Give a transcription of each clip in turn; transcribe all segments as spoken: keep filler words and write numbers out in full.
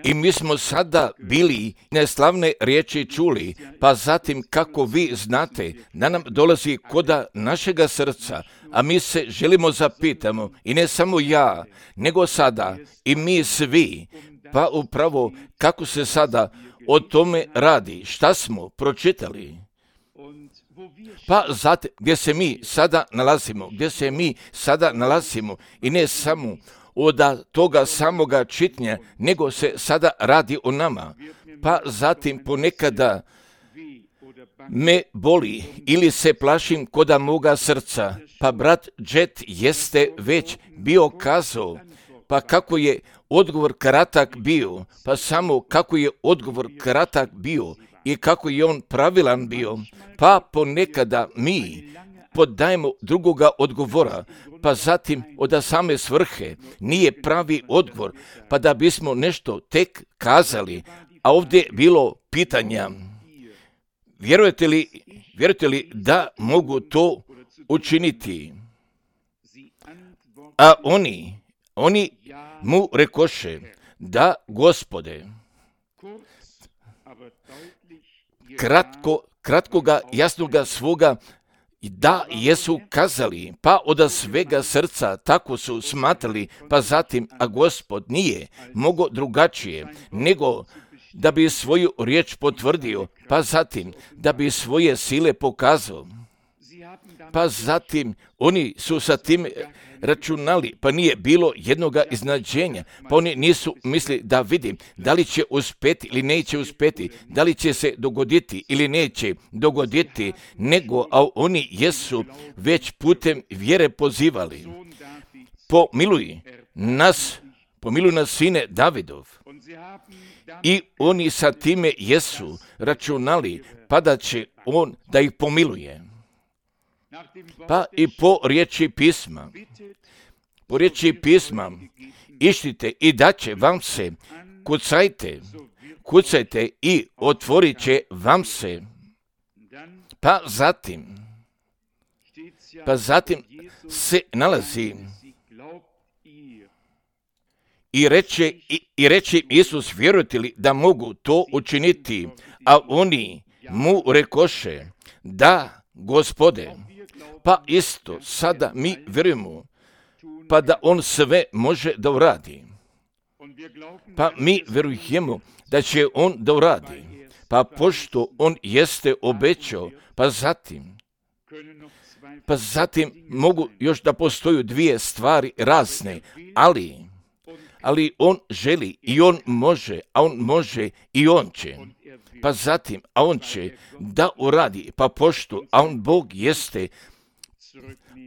I mi smo sada bili neslavne riječi čuli, pa zatim kako vi znate da nam dolazi koda našega srca, a mi se želimo zapitamo, i ne samo ja, nego sada i mi svi, pa upravo kako se sada o tome radi, šta smo pročitali. Pa zatim, gdje se mi sada nalazimo, gdje se mi sada nalazimo i ne samo od toga samoga čitanja, nego se sada radi o nama. Pa zatim ponekada me boli ili se plašim koda moga srca. Pa brat Jet jeste već bio kazao, pa kako je odgovor kratak bio, pa samo kako je odgovor kratak bio i kako je on pravilan bio, pa ponekada mi podajemo drugoga odgovora, pa zatim od same svrhe nije pravi odgovor, pa da bismo nešto tek kazali, a ovdje bilo pitanja. Vjerujete li, vjerujete li da mogu to učiniti? A oni, oni mu rekoše, da, Gospode. Kratko, kratkoga, jasnoga svoga da jesu kazali, pa od svega srca tako su smatrali, pa zatim, a Gospod nije mogao drugačije, nego da bi svoju riječ potvrdio, pa zatim da bi svoje sile pokazao. Pa zatim oni su sa tim računali, pa nije bilo jednoga iznenađenja, pa oni nisu mislili da vidim da li će uspjeti ili neće uspjeti, da li će se dogoditi ili neće dogoditi, nego a oni jesu već putem vjere pozivali. Pomiluj nas, pomiluj nas, sine Davidov. I oni sa time jesu računali, pa da će on da ih pomiluje. Pa i po riječi pisma, po riječi pisma, išlite i daće vam se, kucajte, kucajte i otvorit će vam se. Pa zatim, pa zatim se nalazi i reče, i, i reče Isus, vjerujete li da mogu to učiniti? A oni mu rekoše, da, Gospode. Pa isto sada mi vjerujemo, pa da on sve može da uradi. Pa mi vjerujemo da će on da uradi. Pa pošto on jeste obećao, pa zatim, pa zatim mogu još da postoju dvije stvari razne, ali, ali on želi i on može, a on može i on će. Pa zatim, a on će da uradi, pa pošto, a on Bog jeste,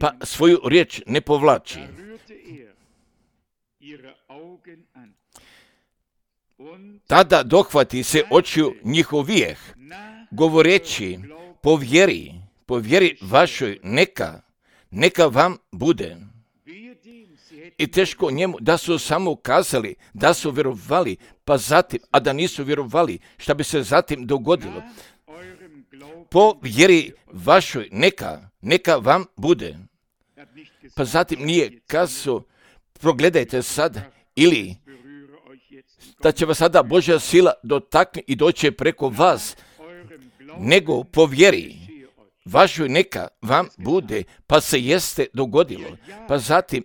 pa svoju riječ ne povlači. Tada dohvati se očiju njihovijeh, govoreći, po vjeri, po vjeri vašoj neka, neka vam bude. I teško njemu da su samo kazali, da su vjerovali, pa zatim, a da nisu vjerovali, šta bi se zatim dogodilo. Po vjeri vašoj neka, neka vam bude. Pa zatim nije kazao, progledajte sad, ili da će vas sada Božja sila dotakne i doće preko vas, nego po vjeri vašoj neka vam bude, pa se jeste dogodilo. Pa zatim,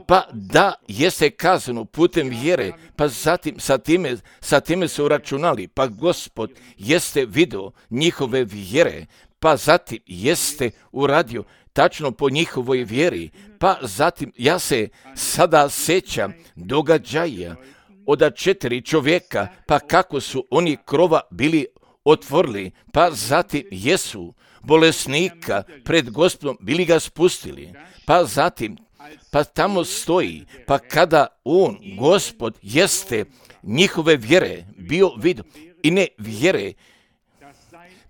pa da jeste kazano putem vjere, pa zatim sa time, sa time su računali, pa Gospod jeste vidio njihove vjere, pa zatim jeste uradio tačno po njihovoj vjeri, pa zatim ja se sada sećam događaja od četiri čovjeka, pa kako su oni krova bili otvorili, pa zatim jesu bolesnika pred Gospodom bili ga spustili, pa zatim pa tamo stoji, pa kada on, Gospod, jeste njihove vjere bio vidio i ne vjere,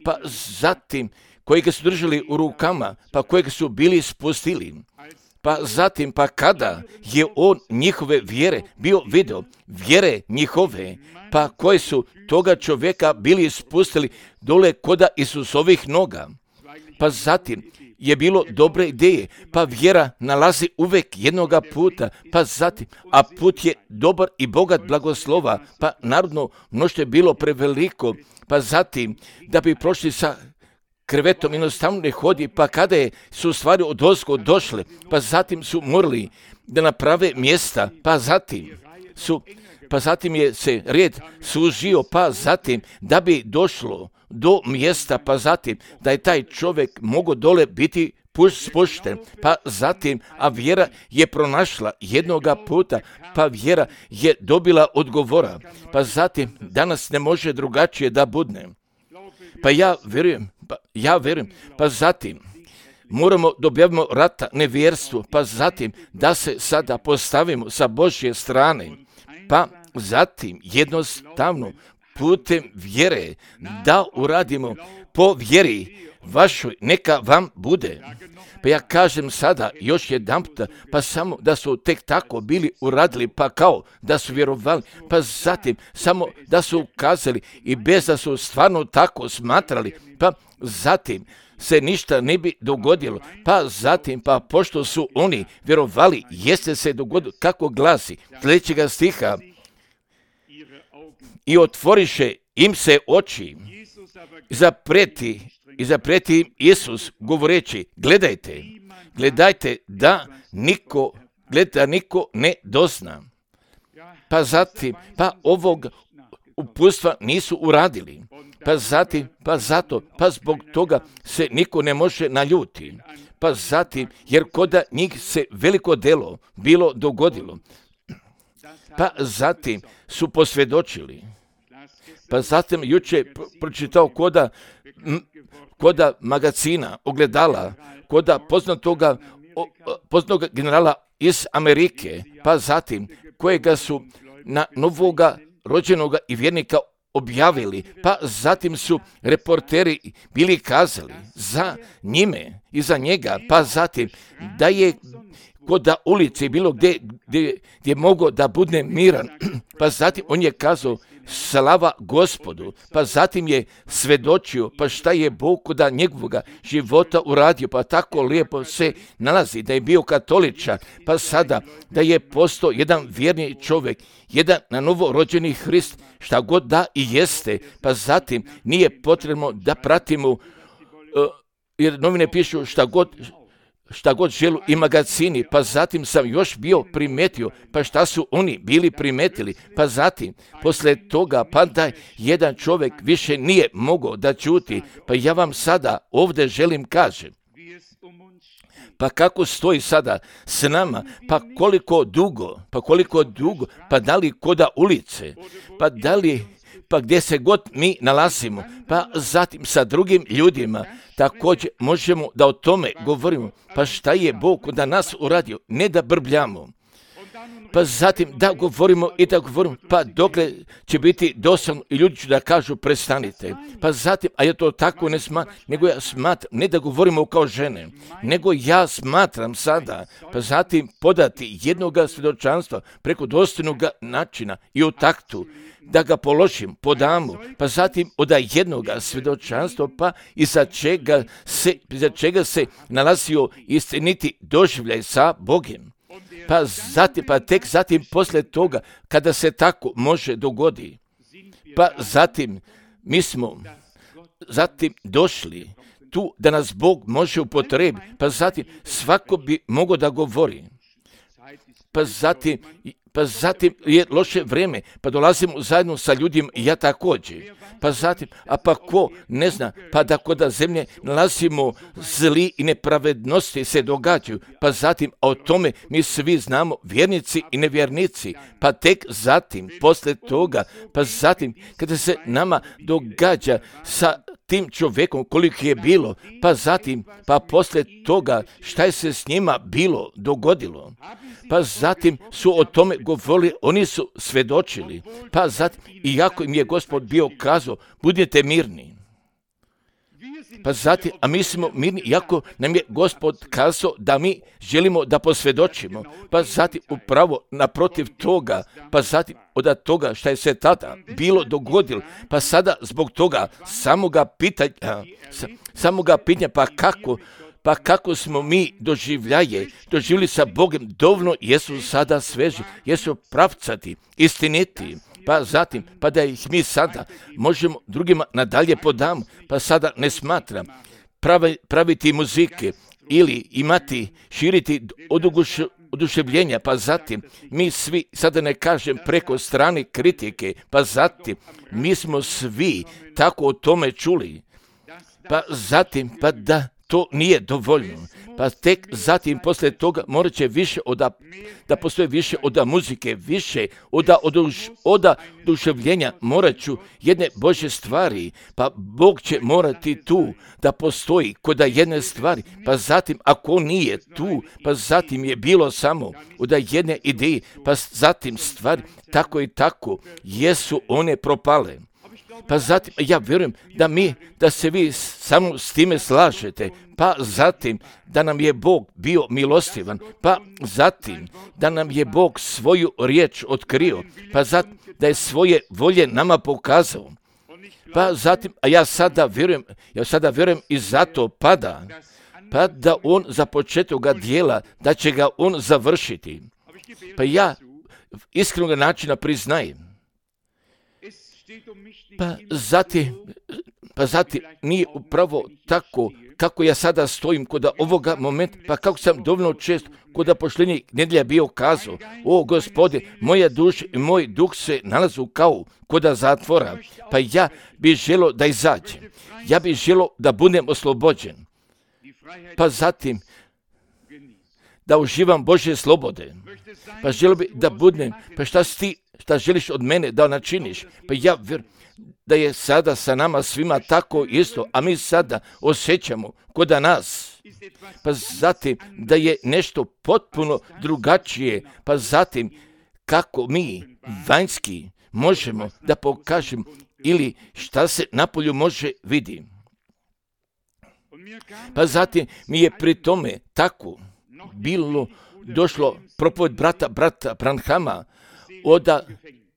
pa zatim kojega su držali u rukama, pa kojega su bili spustili, pa zatim, pa kada je on njihove vjere bio vidio, vjere njihove, pa koje su toga čovjeka bili spustili dole koda Isusovih noga, pa zatim je bilo dobre ideje, pa vjera nalazi uvek jednoga puta, pa zatim, a put je dobar i bogat blagoslova, pa narodno mnoštvo je bilo preveliko, pa zatim, da bi prošli sa krevetom jednostavno ne hodi, pa kada je, su stvari odozgo došle, pa zatim su morali da naprave mjesta, pa zatim su, pa zatim je se red sužio, pa zatim da bi došlo do mjesta, pa zatim da je taj čovjek mogao dole biti spušten, pa zatim, a vjera je pronašla jednoga puta, pa vjera je dobila odgovora, pa zatim danas ne može drugačije da budne. Pa ja vjerujem, pa ja vjerujem, pa zatim moramo da objavimo rata nevjerstvu, pa zatim da se sada postavimo sa Božje strane, pa zatim jednostavno putem vjere da uradimo po vjeri vašoj, neka vam bude. Pa ja kažem sada još jedanput, pa samo da su tek tako bili uradili, pa kao da su vjerovali, pa zatim samo da su ukazali i bez da su stvarno tako smatrali, pa zatim se ništa ne bi dogodilo, pa zatim, pa pošto su oni vjerovali, jeste se dogodilo, kako glasi sljedećega stiha, i otvoriše im se oči, i zapreti, i zapreti im Isus govoreći, gledajte, gledajte da niko, gledajte da niko ne dozna. Pa zatim, pa ovog uputstva nisu uradili, pa zatim, pa zato, pa zbog toga se niko ne može naljuti, pa zatim, jer koda njih se veliko delo bilo dogodilo, pa zatim su posvjedočili. Pa zatim juče pročitao koda, koda magazina, ogledala, koda poznatoga, poznatoga generala iz Amerike, pa zatim kojega su na novoga rođenoga i vjernika objavili, pa zatim su reporteri bili kazali za njime i za njega, pa zatim da je koda ulici bilo gdje, gdje, gdje mogao da bude miran, pa zatim on je kazao slava Gospodu, pa zatim je svedočio, pa šta je Bog koda njegovoga života uradio, pa tako lijepo se nalazi da je bio katoličan, pa sada da je postao jedan vjerni čovjek, jedan na novo rođeni Hrist, šta god da i jeste, pa zatim nije potrebno da pratimo, uh, jer novine pišu šta god, šta god želu i magazini, pa zatim sam još bio primetio, pa šta su oni bili primetili, pa zatim, posle toga, pa da jedan čovjek više nije mogao da ćuti, pa ja vam sada ovdje želim kažem, pa kako stoji sada s nama, pa koliko dugo, pa koliko dugo, pa da li koda ulice, pa da li, pa gdje se god mi nalazimo, pa zatim sa drugim ljudima, također možemo da o tome govorimo, pa šta je Bog da nas uradio, ne da brbljamo, pa zatim da govorimo i da govorimo, pa dokle će biti dosadno i ljudi će da kažu prestanite, pa zatim, a ja to tako ne smatram, nego ja smatram, ne da govorimo kao žene, nego ja smatram sada, pa zatim podati jednoga svjedočanstva preko dostojnog načina i u taktu, da ga položim, podamo, pa zatim od jednoga svjedočanstva, pa iza čega se, iza čega se nalazio istiniti doživljaj sa Bogom. Pa zatim, pa tek zatim posle toga, kada se tako može dogodi, pa zatim mi smo zatim došli tu da nas Bog može upotrebiti, pa zatim svako bi mogao da govori, pa zatim, pa zatim je loše vrijeme, pa dolazimo zajedno sa ljudima i ja također, pa zatim, a pa ko ne zna, pa da koda zemlje nalazimo zli i nepravednosti se događaju, pa zatim, a o tome mi svi znamo, vjernici i nevjernici, pa tek zatim, posle toga, pa zatim, kada se nama događa sa tim čovjekom koliko je bilo, pa zatim, pa posle toga šta je se s njima bilo dogodilo, pa zatim su o tome govorili, oni su svedočili, pa zatim, iako im je Gospod bio kazao, budite mirni, pa zatim, a mi smo mirni, iako nam je Gospod kazao da mi želimo da posvjedočimo, pa zatim upravo naprotiv toga, pa zatim od toga šta je se tada bilo dogodilo, pa sada zbog toga samoga pitanja, samoga pitanja, pa kako, pa kako smo mi doživljaje, doživjeli sa Bogom, dovoljno jesu sada sveži, jesu pravcati, istiniti, pa zatim, pa da ih mi sada možemo drugima nadalje podam, pa sada ne smatram pravi, praviti muzike ili imati, širiti oduguš, oduševljenja, pa zatim mi svi, sada ne kažem preko strane kritike, pa zatim mi smo svi tako o tome čuli, pa zatim, pa da to nije dovoljno. Pa tek zatim poslije toga morat će više oda, da postoje više od muzike, više od oduševljenja, morat ću jedne Božje stvari, pa Bog će morati tu da postoji kod jedne stvari, pa zatim ako nije tu, pa zatim je bilo samo od jedne ideje, pa zatim stvari tako i tako jesu one propale. Pa zatim, ja vjerujem da mi, da se vi samo s time slažete, pa zatim da nam je Bog bio milostivan, pa zatim da nam je Bog svoju riječ otkrio, pa zatim da je svoje volje nama pokazao, pa zatim, a ja sada vjerujem, ja sada vjerujem i zato pada, pa da on za početka dijela, da će ga on završiti. Pa ja iskrenog načina priznajem. Pa zatim, pa zatim nije upravo tako kako ja sada stojim kod ovoga momenta, pa kako sam dovoljno često kod pošljenje nedjelja bio kazao, o Gospode, moja duša i moj duh se nalazu kao kod zatvora, pa ja bih želio da izađem, ja bih želio da budem oslobođen, pa zatim da uživam Božje slobode, pa želio bih da budem, pa šta si ti, šta želiš od mene da načiniš, pa ja vjerujem da je sada sa nama svima tako isto, a mi sada osjećamo kod nas, pa zatim da je nešto potpuno drugačije, pa zatim kako mi vanjski možemo da pokažemo ili šta se napolju može vidjeti. Pa zatim mi je pri tome tako bilo došlo propoved brata, brata Branhama, oda,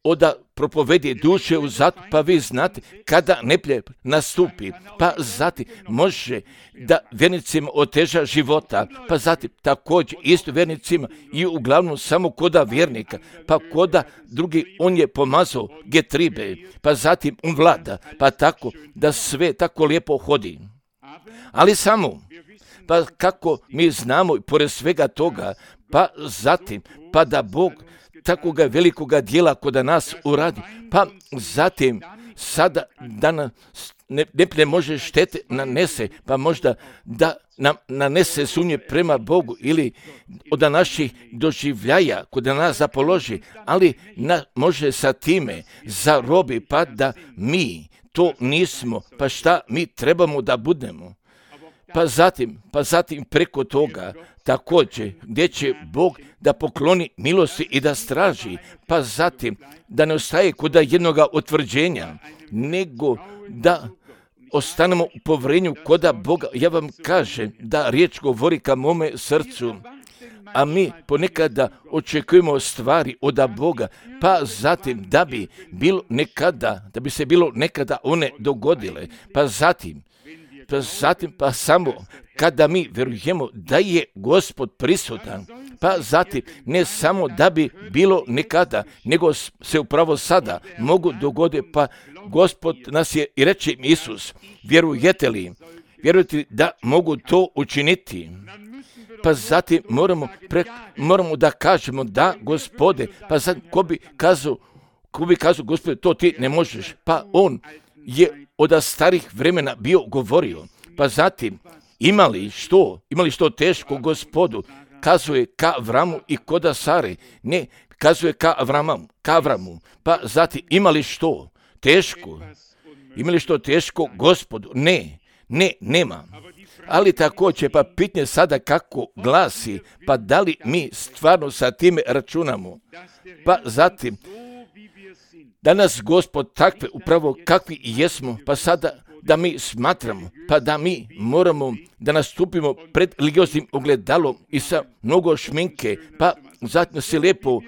oda propovedi duše u zatvoru, pa vi znate kada neprijatelj nastupi, pa zatim može da vjernicima oteža života, pa zatim također isto vjernicima i uglavnom samo koda vjernika, pa koda drugi on je pomazao getribe, pa zatim on vlada, pa tako da sve tako lijepo hodi. Ali samo, pa kako mi znamo i pored svega toga, pa zatim, pa da Bog takoga velikoga dijela kod nas uradi, pa zatim sada da nas ne, ne može štete nanese, pa možda da nam nanese sumnje prema Bogu ili od naših doživljaja kod nas zapoloži, ali na, može sa time zarobi, pa da mi to nismo, pa šta mi trebamo da budemo. Pa zatim, pa zatim preko toga također gdje će Bog da pokloni milosti i da straži, pa zatim da ne ostaje kod jednoga utvrđenja, nego da ostanemo u povjerenju koda Boga. Ja vam kažem da riječ govori ka mome srcu, a mi ponekada očekujemo stvari od Boga, pa zatim da bi bilo nekada, da bi se bilo nekada one dogodile, pa zatim Pa zatim, pa samo kada mi vjerujemo da je Gospod prisutan, pa zatim ne samo da bi bilo nekada, nego se upravo sada mogu dogoditi, pa Gospod nas je i reče Isus, vjerujete li, vjerujete li da mogu to učiniti? Pa zatim moramo, pre, moramo da kažemo da Gospode, pa zatim ko bi kazao, ko bi kazao Gospode, to ti ne možeš, pa on je od starih vremena bio govorio, pa zatim imali što, imali što teško Gospodu, kazuje ka Avramu i koda Sare, ne, kazuje ka Avramu, ka Avramu, pa zatim imali što teško, imali što teško Gospodu, ne, ne, nema. Ali također, pa pitanje sada kako glasi, pa da li mi stvarno sa time računamo, pa zatim, danas Gospod takve, upravo kakvi jesmo, pa sada da mi smatramo, pa da mi moramo da nastupimo pred religioznim ogledalom i sa mnogo šminke, pa zatim se lijepo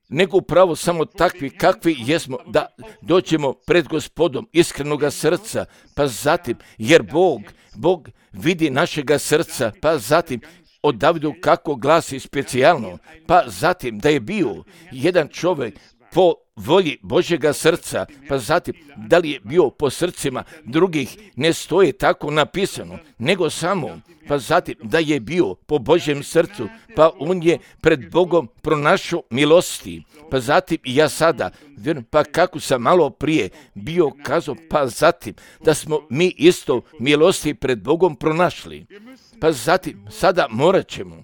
nego upravo samo takvi kakvi jesmo, da dođemo pred Gospodom iskrenoga srca, pa zatim, jer Bog, Bog vidi našega srca, pa zatim, o Davidu kako glasi specijalno, pa zatim da je bio jedan čovjek po volji Božjega srca, pa zatim da li je bio po srcima drugih, ne stoji tako napisano, nego samo, pa zatim da je bio po Božjem srcu, pa on je pred Bogom pronašao milosti, pa zatim i ja sada, pa kako sam malo prije bio kazao, pa zatim da smo mi isto milosti pred Bogom pronašli, pa zatim sada morat ćemo,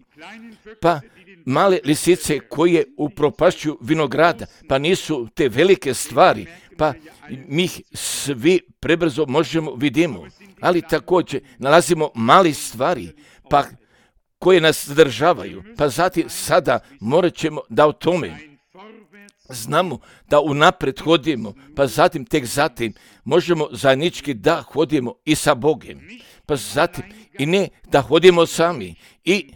pa male lisice koje upropašćuju vinograda, pa nisu te velike stvari, pa mi ih svi prebrzo možemo vidimo, ali također nalazimo mali stvari, pa koje nas zadržavaju, pa zatim sada morat ćemo da o tome znamo da unapred hodimo, pa zatim tek zatim možemo zajednički da hodimo i sa Bogom, pa zatim i ne da hodimo sami i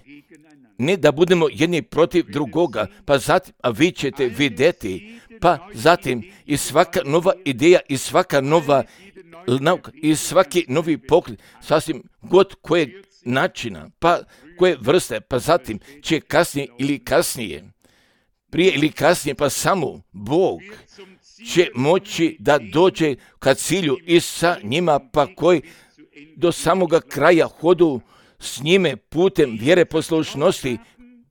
ne da budemo jedni protiv drugoga, pa zatim, a vi ćete vidjeti, pa zatim i svaka nova ideja i svaka nova nauka i svaki novi pogled, sasvim god kojeg načina, pa koje vrste, pa zatim će kasnije ili kasnije, prije ili kasnije, pa samo Bog će moći da dođe ka cilju i sa njima, pa koji do samoga kraja hodu s njime putem vjere poslušnosti,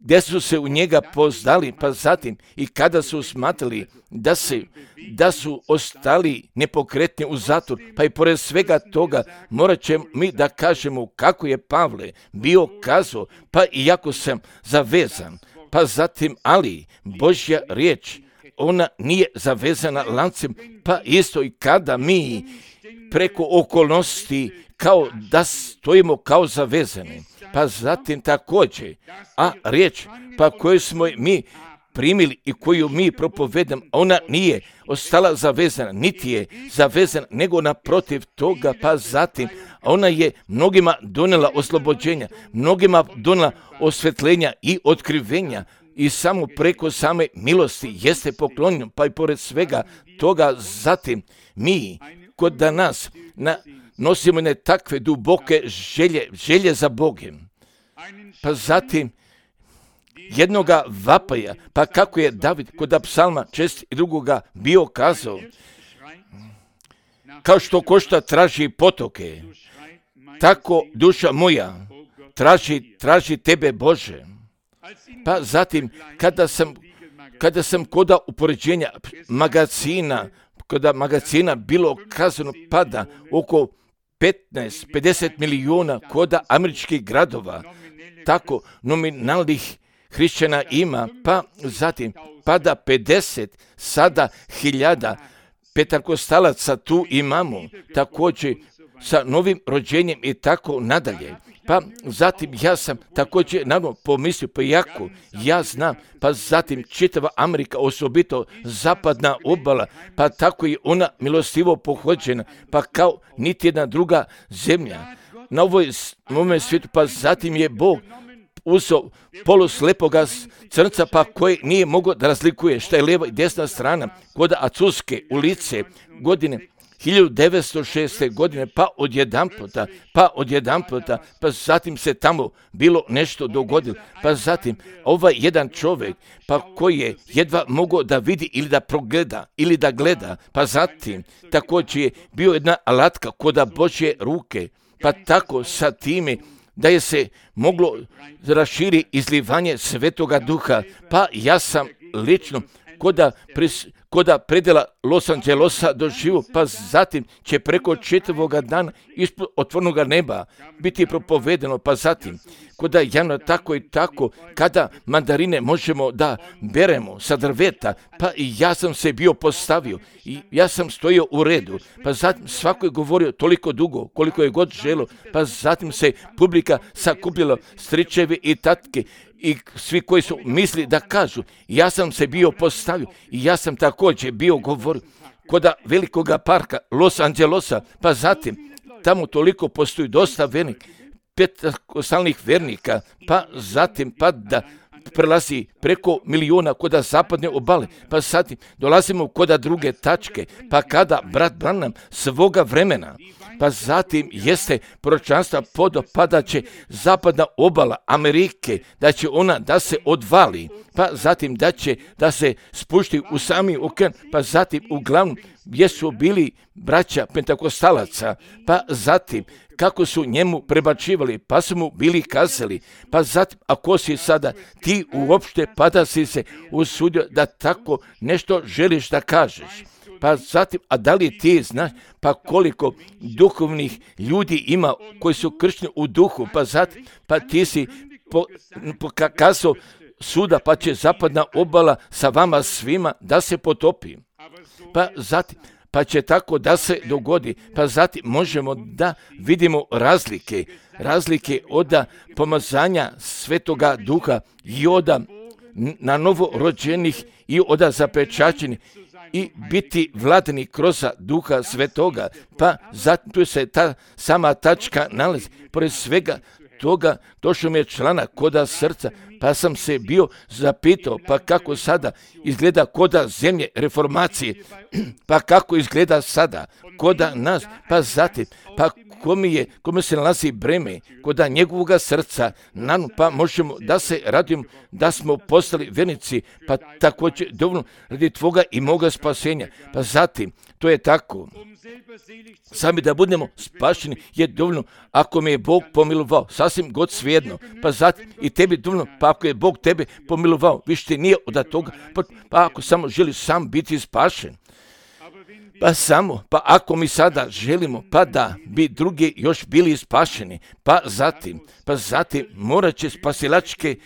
gdje su se u njega poznali, pa zatim i kada su smatrali da, se, da su ostali nepokretni u zatvor, pa i pored svega toga morat ćemo mi da kažemo kako je Pavle bio kazao, pa iako sam zavezan, pa zatim ali Božja riječ, ona nije zavezana lancem, pa isto i kada mi preko okolnosti kao da stojimo kao zavezani, pa zatim također, a riječ pa koju smo mi primili i koju mi propovedamo, ona nije ostala zavezana, niti je zavezana, nego naprotiv toga, pa zatim ona je mnogima donela oslobođenja, mnogima donela osvetljenja i otkrivenja, i samo preko same milosti jeste poklonjeno, pa i pored svega toga zatim mi kod da nas na, nosimo ne takve duboke želje, želje za Bogom, pa zatim jednoga vapaja, pa kako je David kod psalma čest i drugoga bio kazao, kao što košta traži potoke, tako duša moja traži, traži tebe Bože. Pa zatim kada sam, kada sam koda upoređenja magazina, kada magazina bilo kazano pada oko petnaest do pedeset milijuna koda američkih gradova, tako nominalnih hrišćana ima, pa zatim pada pedeset sada hiljada petakostalaca tu imamo, također sa novim rođenjem i tako nadalje. Pa zatim ja sam također naravno pomislio, pa jako ja znam, pa zatim čitava Amerika, osobito zapadna obala, pa tako i ona milostivo pohođena, pa kao niti jedna druga zemlja na ovoj, ovome svijetu, pa zatim je Bog uzeo poluslepoga crnca, pa koji nije mogao da razlikuje šta je lijeva i desna strana, kod Acuske ulice godine hiljadu devetsto šeste. godine, pa odjedan puta, pa odjedan puta, pa zatim se tamo bilo nešto dogodilo, pa zatim ovaj jedan čovjek, pa koji je jedva mogao da vidi ili da progleda, ili da gleda, pa zatim također je bio jedna alatka koda Božje ruke, pa tako sa time da je se moglo raširi izlivanje Svetoga Duha, pa ja sam lično koda, pris, koda predela Los Angelesa doživo, pa zatim će preko četvrtoga dana ispod otvornoga neba biti propovedeno, pa zatim koda javno tako i tako, kada mandarine možemo da beremo sa drveta, pa i ja sam se bio postavio i ja sam stojio u redu, pa zatim svako je govorio toliko dugo koliko je god želo, pa zatim se publika sakupila, stričevi i tatke i svi koji su misli da kažu, ja sam se bio postavio i ja sam također bio govorio koda velikoga parka Los Angelesa, pa zatim tamo toliko postoji dosta vernika, petakostalnih vernika, pa zatim pa da prelazi preko miliona koda zapadne obale, pa zatim dolazimo koda druge tačke, pa kada brat Branham svoga vremena, pa zatim jeste proročanstva podopada će zapadna obala Amerike, da će ona da se odvali, pa zatim da će da se spušti u sami okean, pa zatim uglavnom gdje su bili braća pentakostalaca, pa zatim kako su njemu prebačivali, pa su mu bili kazali, pa zatim ako si sada ti uopšte, pa da si se usudio da tako nešto želiš da kažeš. Pa zatim, a da li ti znaš pa koliko duhovnih ljudi ima koji su kršteni u duhu, pa zatim, pa ti si pokazao suda, pa će zapadna obala sa vama svima da se potopi. Pa zatim, pa će tako da se dogodi, pa zatim možemo da vidimo razlike, razlike od pomazanja Svetoga Duha i od na novo rođenih i od zapečaćenih i biti vladani kroz Duha Svetoga, pa zatim tu se ta sama tačka nalazi. Pored svega toga došao mi je članak koda srca, pa sam se bio zapitao, pa kako sada izgleda koda zemlje reformacije, pa kako izgleda sada koda nas, pa zatim, pa kome je, kome se nalazi breme koda njegovoga srca, nanu, pa možemo da se radimo da smo postali vernici, pa također dovoljno radi tvoga i moga spasenja, pa zatim, to je tako. Sami da budemo spašeni je dovoljno ako me je Bog pomilovao, sasvim god svejedno, pa zatim i tebi dovoljno, pa ako je Bog tebe pomilovao, više nije od toga, pa, pa ako samo želiš sam biti spašen, pa samo, pa ako mi sada želimo, pa da bi drugi još bili spašeni, pa zatim, pa zatim morat će spasilačke,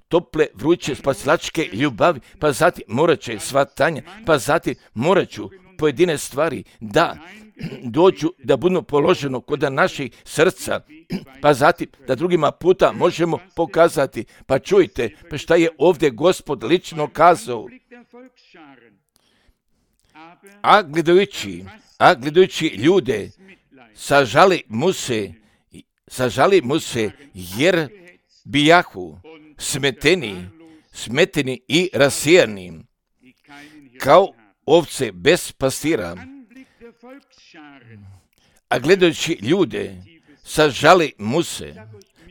tople, vruće spasilačke ljubavi, pa zatim morat će svatanja, pa zatim morat ću pojedine stvari da dođu, da budu položeno kod naših srca, pa zatim da drugima puta možemo pokazati, pa čujte, pa šta je ovdje Gospod lično kazao. A gledajući, a gledajući ljude, sažali mu se, sažali mu se, jer bijahu smeteni, smeteni i rasijani, kao ovce bez pastira. A gledajući ljude, sažali mu se.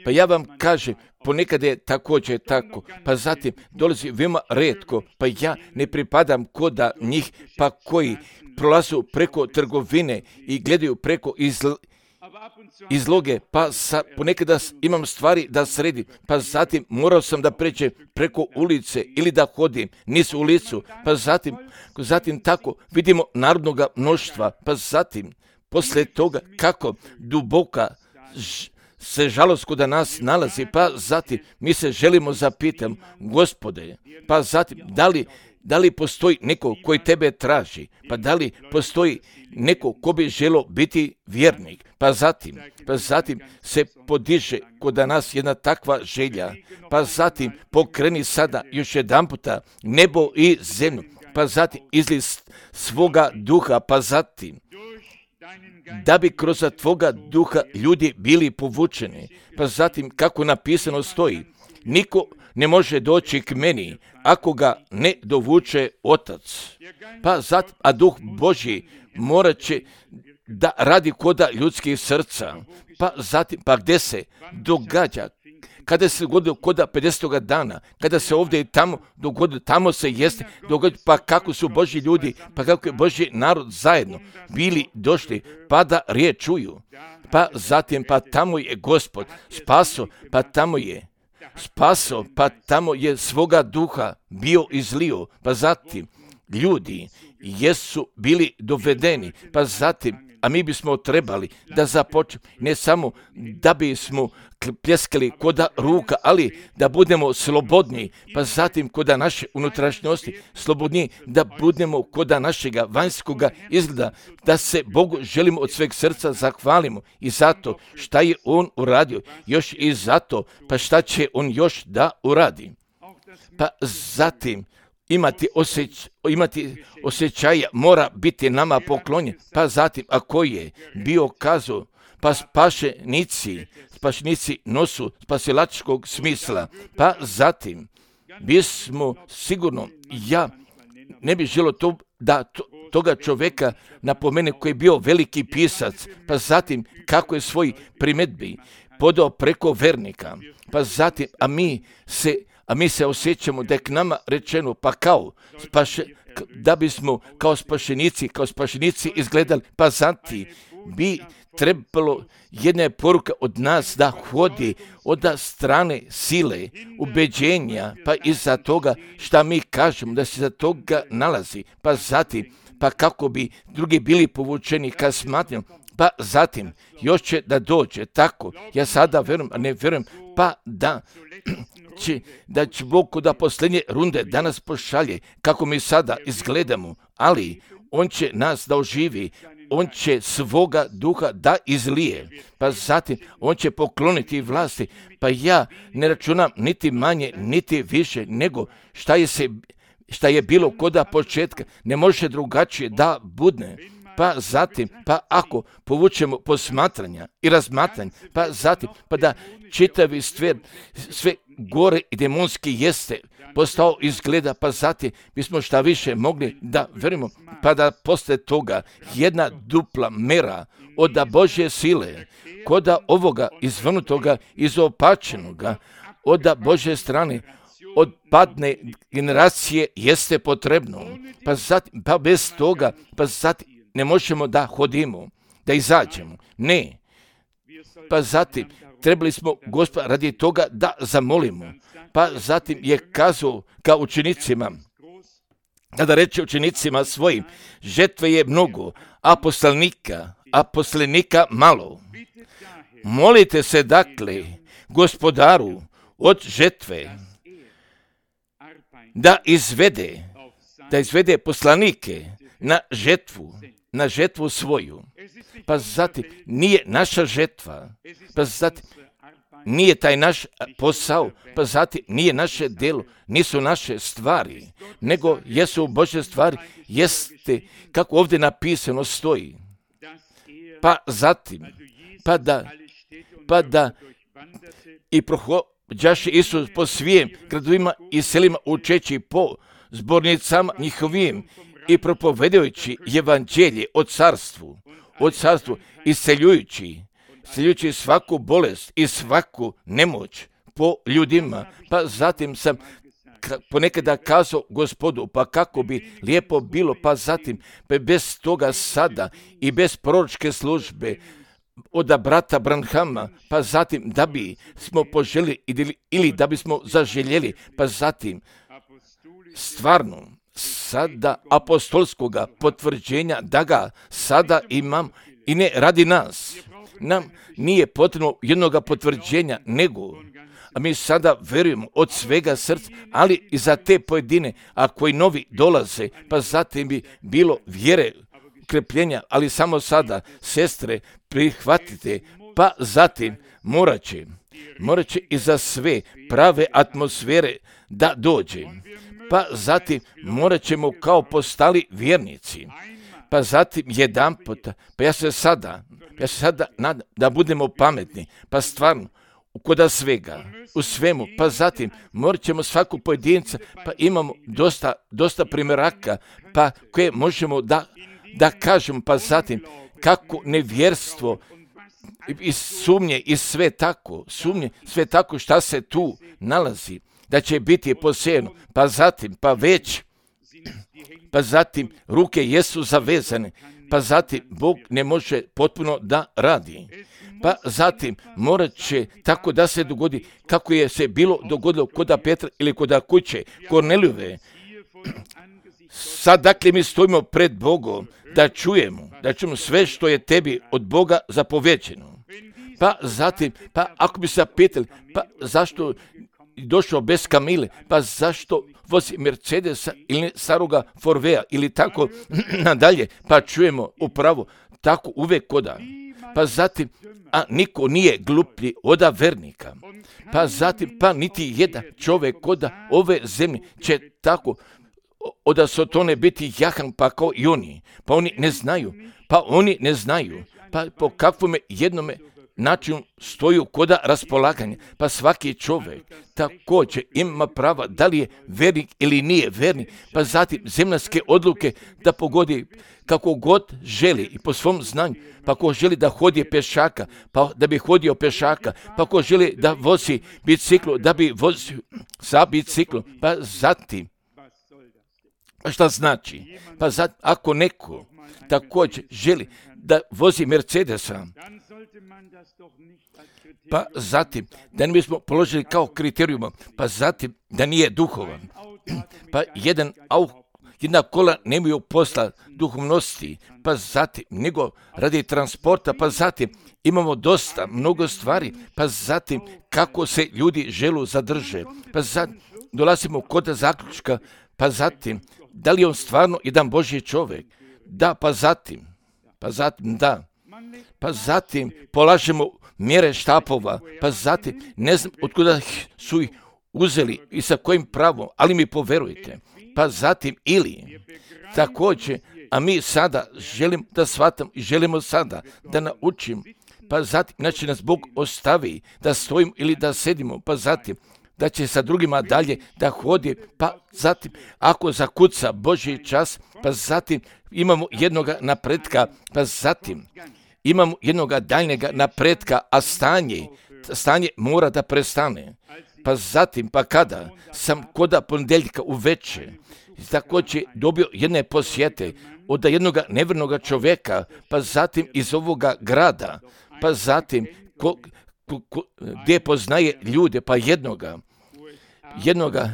Pa ja vam kažem, ponekad je također tako, pa zatim dolazi veoma retko, pa ja ne pripadam koda njih, pa koji prolazu preko trgovine i gledaju preko izl, izloge, pa sa, ponekada imam stvari da sredim, pa zatim morao sam da pređem preko ulice ili da hodim niz ulicu, pa zatim, zatim tako vidimo narodnoga mnoštva, pa zatim posle toga kako duboka ž, se žalost kod nas nalazi, pa zatim mi se želimo zapitati, Gospode, pa zatim da li, da li postoji neko koji tebe traži, pa da li postoji neko ko bi želio biti vjernik, pa zatim, pa zatim se podiže kod nas jedna takva želja, pa zatim pokreni sada još jedan puta nebo i zemlju, pa zatim izli svoga duha, pa zatim da bi kroz tvoga duha ljudi bili povučeni, pa zatim kako napisano stoji, niko ne može doći k meni ako ga ne dovuče Otac, pa zatim, a Duh Božji morat će da radi koda ljudskih srca, pa zatim, pa gdje se događa, kada se dogodilo koda pedesetoga dana, kada se ovdje i tamo dogodilo, tamo se jeste dogodilo, pa kako su Božji ljudi, pa kako je Božji narod zajedno bili došli, pa da riječ čuju, pa zatim, pa tamo je Gospod spaso, pa tamo je spaso, pa tamo je svoga duha bio izlio, pa zatim ljudi jesu bili dovedeni, pa zatim, a mi bismo trebali da započnemo, ne samo da bismo pljeskali koda ruka, ali da budemo slobodni, pa zatim koda naše unutrašnjosti slobodni, da budemo koda našega vanjskoga izgleda, da se Bogu želimo od sveg srca zahvalimo i zato šta je On uradio, još i zato, pa šta će On još da uradi. Pa zatim, Imati, osjeć, imati osjećaja mora biti nama poklonjen, pa zatim ako je bio kazao, pa spašenici, spašenici nosu spasilačkog smisla, pa zatim bismo sigurno, ja ne bih želio to, da to, toga čovjeka napomene koji je bio veliki pisac, pa zatim kako je svoj primjedbi podao preko vernika, pa zatim, a mi se, a mi se osjećamo da je k nama rečeno, pa kao, spaše, da bismo kao spašenici, kao spašenici izgledali, pa zatim bi trebalo jedna je poruka od nas da hodi od strane sile, ubeđenja, pa iza toga šta mi kažemo, da se za toga nalazi, pa zatim, pa kako bi drugi bili povučeni ka smatranju, pa zatim još će da dođe tako, ja sada verujem, a ne verujem, pa da će, da će Bog da posljednje runde danas pošalje, kako mi sada izgledamo, ali on će nas da oživi, on će svoga duha da izlije, pa zatim on će pokloniti vlasti, pa ja ne računam niti manje, niti više, nego šta je, se, šta je bilo koda početka, ne može drugačije da budne, pa zatim, pa ako povučemo posmatranja i razmatranja, pa zatim, pa da čitavi stvar, sve gore i demonski jeste postao izgleda, pa zatim bismo šta više mogli da verimo, pa da posle toga jedna dupla mera od Božje sile, koda ovoga izvrnutoga, izopačenoga, od Božje strane, od padne generacije jeste potrebno, pa zatim, pa bez toga, pa zatim ne možemo da hodimo, da izađemo, ne, pa zatim trebali smo Gospoda radi toga da zamolimo, pa zatim je kazao ka učenicima, kada reče učenicima svojim, žetve je mnogo, a poslanika, a poslanika malo. Molite se dakle Gospodaru od žetve da izvede, da izvede poslanike na žetvu, na žetvu svoju. Pa zatim nije naša žetva, pa zatim nije taj naš posao, pa zatim nije naše delo, nisu naše stvari, nego jesu Božje stvari, jeste kako ovdje napisano stoji. Pa zatim, pa da, pa da i prohođaše Isus po svijem gradovima i selima učeći po zbornicama njihovim i propovedajući evanđelje o carstvu, o carstvu isceljujući, isceljujući svaku bolest i svaku nemoć po ljudima. Pa zatim sam ponekada kazao Gospodu, pa kako bi lijepo bilo, pa zatim pa bez toga sada i bez proročke službe od brata Branhama, pa zatim da bi smo poželjeli ili da bismo zaželjeli, pa zatim stvarno sada apostolskoga potvrđenja da ga sada imam i ne radi nas. Nam nije potrebno jednoga potvrđenja, nego a mi sada verujemo od svega srca, ali i za te pojedine, a koji novi dolaze, pa zatim bi bilo vjere, ukrepljenja, ali samo sada, sestre, prihvatite, pa zatim morat će, morat će i za sve prave atmosfere da dođe. Pa zatim morat ćemo kao postali vjernici. Pa zatim jedan puta, pa ja se sada, ja se sada nadam da budemo pametni, pa stvarno, koda svega, u svemu, pa zatim morat ćemo svaku pojedinca, pa imamo dosta, dosta primjeraka, pa koje možemo da, da kažemo, pa zatim kako nevjerstvo i sumnje i sve tako, sumnje, sve tako šta se tu nalazi, da će biti posejano, pa zatim, pa već, pa zatim ruke jesu zavezane, pa zatim Bog ne može potpuno da radi. Pa zatim morat će tako da se dogodi kako je se bilo dogodilo koda Petra ili koda kuće Kornelijove. Sad dakle mi stojimo pred Bogom da čujemo, da čujemo sve što je tebi od Boga zapovećeno. Pa zatim, pa ako bi se pitali, pa zašto došao bez Kamile, pa zašto vozi Mercedesa ili staroga Forvea ili tako nadalje, pa čujemo upravo tako uvek koda. Pa zatim, a niko nije gluplji oda vernika. Pa zatim, pa niti jedan čovjek koda ove zemlje će tako oda Sotone biti jahan pa kao i oni. Pa oni ne znaju, pa oni ne znaju, pa po kakvome jednome način stoju koda raspolaganja, pa svaki čovjek također ima prava da li je vernik ili nije vernik, pa zatim zemaljske odluke da pogodi kako god želi i po svom znanju, pa ko želi da hodi pešaka, pa da bi hodio pešaka, pa ko želi da vozi biciklu, da bi vozio sa biciklom, pa zatim, pa šta znači? Pa zatim, ako neko također želi da vozi Mercedesa, pa zatim da ne bismo položili kao kriterijuma, pa zatim da nije duhovan, pa jedan auto, jedna kola nemaju posla duhovnosti, pa zatim nego radi transporta, pa zatim imamo dosta, mnogo stvari, pa zatim kako se ljudi želu zadrže, pa zatim dolazimo kod zaključka, pa zatim da li je on stvarno jedan Božji čovjek, da, pa zatim, pa zatim da, pa zatim polažemo mjere štapova, pa zatim ne znam otkuda su ih uzeli i sa kojim pravom, ali mi poverujte, pa zatim ili također, a mi sada želimo da shvatam i želimo sada da naučim, pa zatim, znači nas Bog ostavi da stojimo ili da sedimo, pa zatim da će sa drugima dalje da hodi, pa zatim ako zakuca Božji čas, pa zatim imamo jednoga napretka, pa zatim imamo jednoga daljnjega napretka, a stanje, stanje mora da prestane. Pa zatim, pa kada sam koda ponedjeljka uveče, također dobio jedne posjete od jednoga nevernoga čovjeka, pa zatim iz ovoga grada, pa zatim ko, ko, ko, gdje poznaje ljude, pa jednoga, jednoga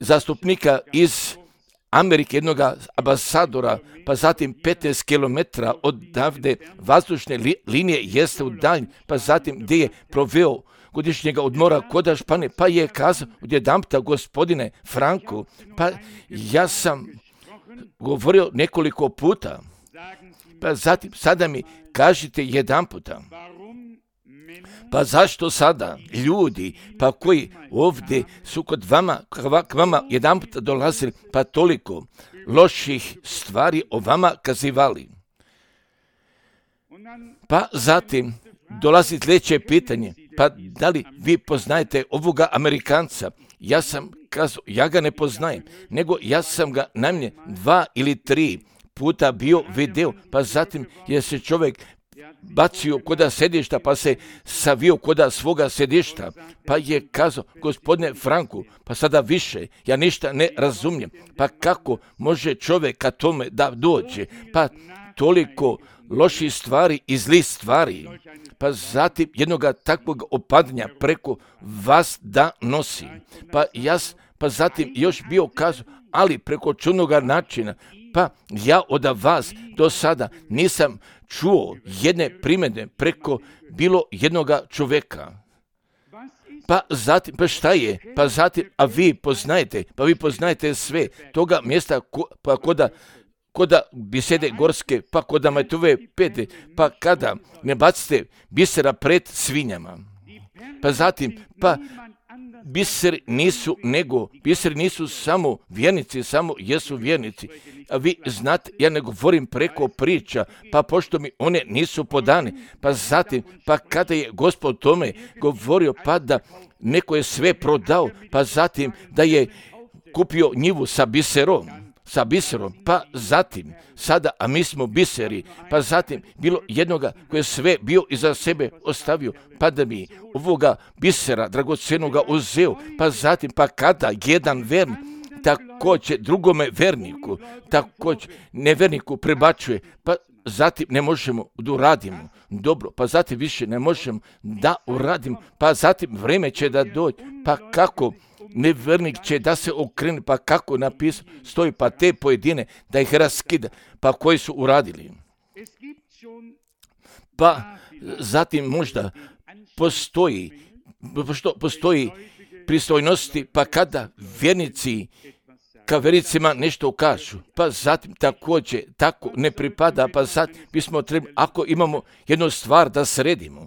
zastupnika iz Amerike, jednoga ambasadora, pa zatim petnaest kilometara odavde vazdušne li, linije jeste u dalj, pa zatim gdje je proveo godišnjega odmora kod Španije, pa je kazao odjedanputa gospodine Franku, pa ja sam govorio nekoliko puta, pa zatim sada mi kažite jedanputa, pa zašto sada ljudi, pa koji ovdje su kod vama, k vama jedanputa dolazili, pa toliko loših stvari o vama kazivali. Pa zatim dolazi sljedeće pitanje, pa da li vi poznajete ovoga Amerikanca? Ja sam kazao, ja ga ne poznajem, nego ja sam ga najmanje dva ili tri puta bio video, pa zatim je se čovjek bacio koda sedišta, pa se savio koda svoga sedišta, pa je kazao, gospodine Franku, pa sada više, ja ništa ne razumijem, pa kako može čovjek ka tome da dođe, pa toliko loših stvari i zlih stvari, pa zatim jednoga takvog opadanja preko vas da nosi, pa ja, pa zatim još bio kazao, ali preko čudnoga načina, pa ja od vas do sada nisam čuo jedne primjedbe preko bilo jednoga čovjeka. Pa zatim, pa šta je? Pa zatim, a vi poznajete, pa vi poznajete sve toga mjesta, ko, pa koda, koda bisede gorske, pa koda majtove pete, pa kada ne bacite bisera pred svinjama. Pa zatim, pa biseri nisu nego, biseri nisu samo vjernici, samo jesu vjernici. A vi znate, ja ne govorim preko priča, pa pošto mi one nisu podane, pa zatim, pa kada je Gospod tome govorio, pa da neko je sve prodao, pa zatim da je kupio njivu sa biserom, sa biserom, pa zatim, sada, a mi smo biseri, pa zatim bilo jednoga koji je sve bio iza sebe ostavio, pa da mi ovoga bisera dragocenoga uzeo, pa zatim, pa kada jedan vernik također drugome verniku, također neverniku prebačuje, pa zatim ne možemo da uradimo dobro, pa zatim više ne možemo da uradimo, pa zatim vreme će da dođe, pa kako nevernik će da se okrene, pa kako napisano stoji, pa te pojedine da ih raskida, pa koji su uradili. Pa zatim možda postoji, što postoji pristojnosti, pa kada vjernici ka vjernicima nešto kažu, pa zatim također tako ne pripada, pa zatim bismo trebali, ako imamo jednu stvar da sredimo,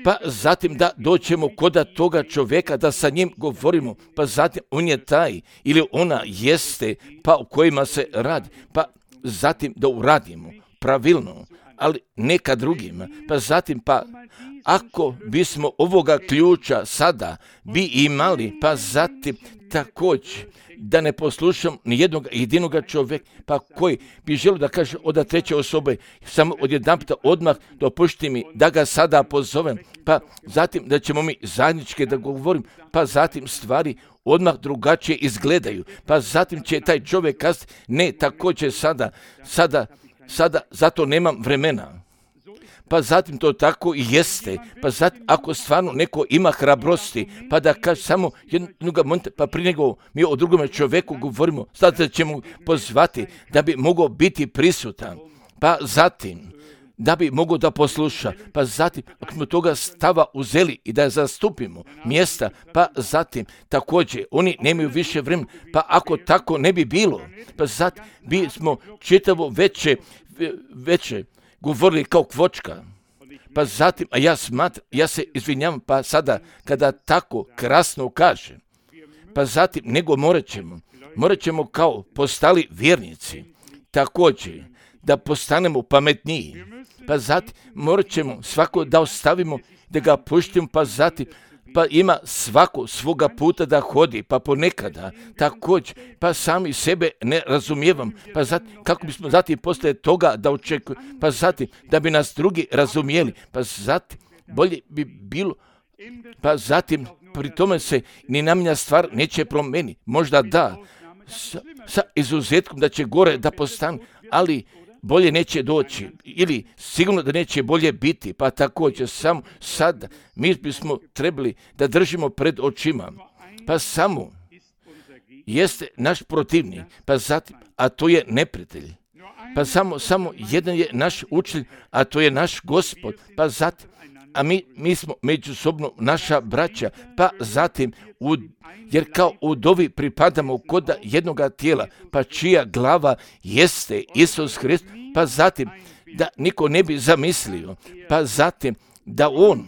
pa zatim da doćemo koda toga čovjeka, da sa njim govorimo, pa zatim on je taj ili ona jeste, pa u kojima se radi, pa zatim da uradimo pravilno, ali neka drugima. Pa zatim, pa ako bismo ovoga ključa sada bi imali, pa zatim također da ne poslušam ni jednog jedinoga čovjeka, pa koji bi želio da kaže od treće osobe, samo odjedanputa odmah dopušti mi da ga sada pozovem, pa zatim da ćemo mi zajednički da govorim, pa zatim stvari odmah drugačije izgledaju, pa zatim će taj čovjek kazati, ne, također sada, sada, sada, zato nemam vremena. Pa zatim to tako i jeste. Pa zatim ako stvarno neko ima hrabrosti, pa da kaže samo jednog momenta, pa prije nego mi o drugome čovjeku govorimo, sada ćemo pozvati da bi mogao biti prisutan. Pa zatim da bi mogao da posluša, pa zatim ako smo toga stava uzeli i da zastupimo mjesta, pa zatim također oni nemaju više vremena, pa ako tako ne bi bilo, pa zatim bi smo čitavo veće, veće govorili kao kvočka. Pa zatim, a ja smatram, ja se izvinjavam, pa sada kada tako krasno kaže, pa zatim nego morat ćemo, morat ćemo kao postali vjernici, također da postanemo pametniji, pa zatim morat ćemo svako da ostavimo, da ga puštimo, pa zatim pa ima svako svoga puta da hodi, pa ponekada također, pa sami sebe ne razumijevam, pa zatim, kako bismo zatim poslije toga da očekujemo, pa zatim da bi nas drugi razumijeli, pa zatim bolje bi bilo, pa zatim pri tome se ni namjenja stvar neće promijeniti, možda da, sa, sa izuzetkom da će gore da postane, ali bolje neće doći ili sigurno da neće bolje biti, pa također samo sada mi bismo trebali da držimo pred očima, pa samo jeste naš protivnik, pa zatim, a to je neprijatelj, pa samo, samo jedan je naš učitelj, a to je naš Gospod, pa zatim, a mi, mi smo međusobno naša braća, pa zatim, u, jer kao udovi pripadamo kod jednoga tijela, pa čija glava jeste Isus Hrist, pa zatim da niko ne bi zamislio, pa zatim da on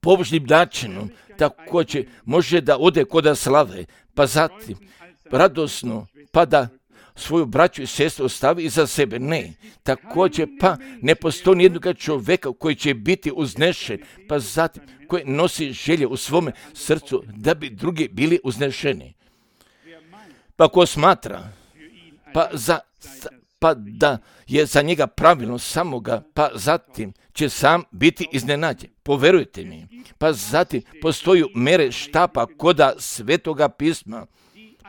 pobožnim načinom također može da ode kod slave, pa zatim radosno, pa da svoju braću i sestru ostavi iza sebe. Ne, također pa ne postoji nijednog čovjeka koji će biti uznešen, pa zatim koji nosi želje u svome srcu da bi drugi bili uznešeni. Pa ko smatra, pa, za, pa da je za njega pravilno samoga, pa zatim će sam biti iznenađen. Poverujte mi, pa zatim postoji mere štapa koda Svetoga pisma,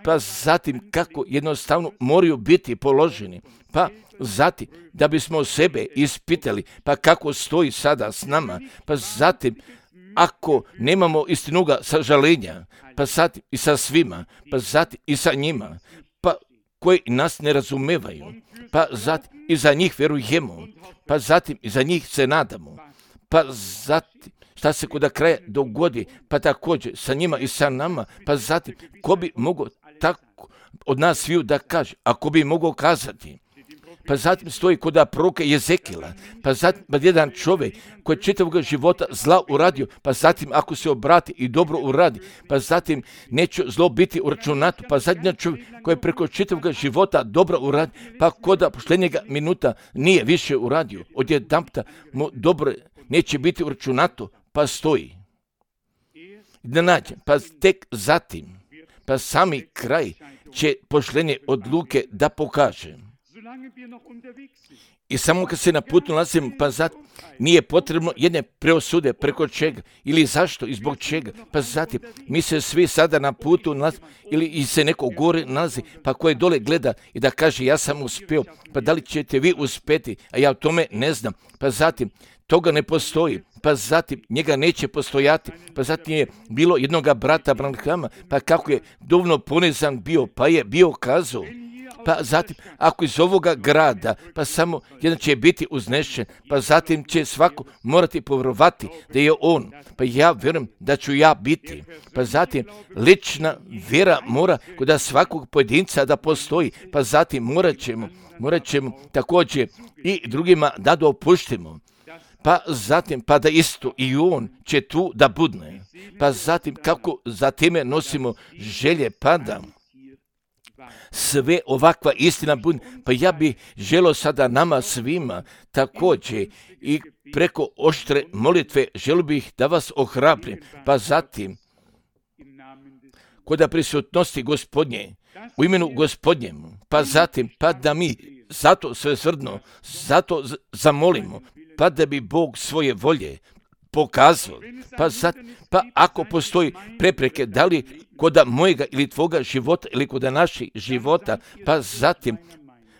pa zatim kako jednostavno moraju biti položeni, pa zatim da bismo sebe ispitali, pa kako stoji sada s nama, pa zatim ako nemamo istinoga sažalenja, pa zatim i sa svima, pa zatim i sa njima, pa koji nas ne razumevaju, pa zatim i za njih vjerujemo, pa zatim i za njih se nadamo, pa zatim šta se kod kraja dogodi, pa također sa njima i sa nama, pa zatim ko bi mogao tako od nas sviju da kaže, ako bi mogao kazati, pa zatim stoji kod proroka Jezekila, pa zatim pa jedan čovjek koji čitavog života zla uradio, pa zatim ako se obrati i dobro uradi, pa zatim neće zlo biti uračunato, pa zatim čovjek koji je preko čitavog života dobro uradi, pa kod posljednjega minuta nije više uradio, odjedanputa mu dobro neće biti uračunato, pa stoji. Da nađem, pa tek zatim, pa sami kraj će poštenje odluke da pokaže. I samo kad se na putu nalazimo, pa zatim nije potrebno jedne preosude preko čega ili zašto i zbog čega, pa zatim mi se svi sada na putu nalazimo ili i se neko gore nalazi, pa koji dole gleda i da kaže ja sam uspio, pa da li ćete vi uspjeti, a ja o tome ne znam, pa zatim toga ne postoji, pa zatim njega neće postojati, pa zatim je bilo jednoga brata Branhama, pa kako je dovoljno ponizan bio, pa je bio kazao, pa zatim ako iz ovoga grada, pa samo jedan će biti uznešen, pa zatim će svako morati povjerovati da je on, pa ja vjerujem da ću ja biti, pa zatim lična vjera mora kod svakog pojedinca da postoji, pa zatim morat ćemo, morat ćemo također i drugima da dopuštimo, pa zatim pa da isto i on će tu da budne, pa zatim kako za time nosimo želje, pa da sve ovakva istina bude. Pa ja bih želio sada nama svima također i preko oštre molitve želio bih da vas ohrabrim. Pa zatim, kod prisutnosti Gospodnje, u imenu Gospodnjemu, pa zatim, pa da mi zato svesrdno, zato zamolimo, pa da bi Bog svoje volje pokazao. Pa, zat, pa ako postoji prepreke, da li kod mojega ili tvoga života ili kod naših života, pa zatim,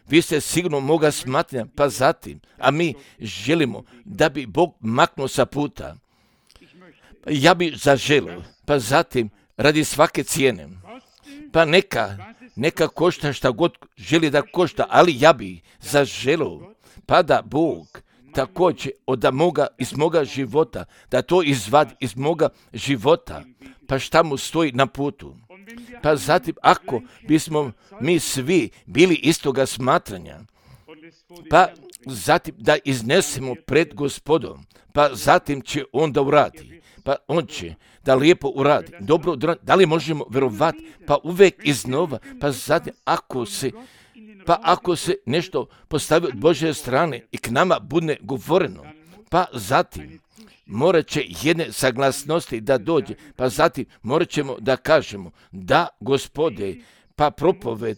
vi ste sigurno moga smatranja, pa zatim, a mi želimo da bi Bog maknuo sa puta. Ja bi zaželio, pa zatim, radi svake cijene, pa neka, neka košta šta god želi da košta, ali ja bi zaželio, pa da Bog također od moga, iz moga života, da to izvadi iz moga života, pa šta mu stoji na putu. Pa zatim, ako bismo mi svi bili istoga smatranja, pa zatim da iznesemo pred Gospodom, pa zatim će on da uradi, pa on će da lijepo uradi, dobro, da li možemo vjerovati, pa uvijek iznova, pa zatim ako se Pa ako se nešto postavi od Božje strane i k nama bude govoreno, pa zatim morat će jedne saglasnosti da dođe, pa zatim morat ćemo da kažemo da Gospode, pa propoved,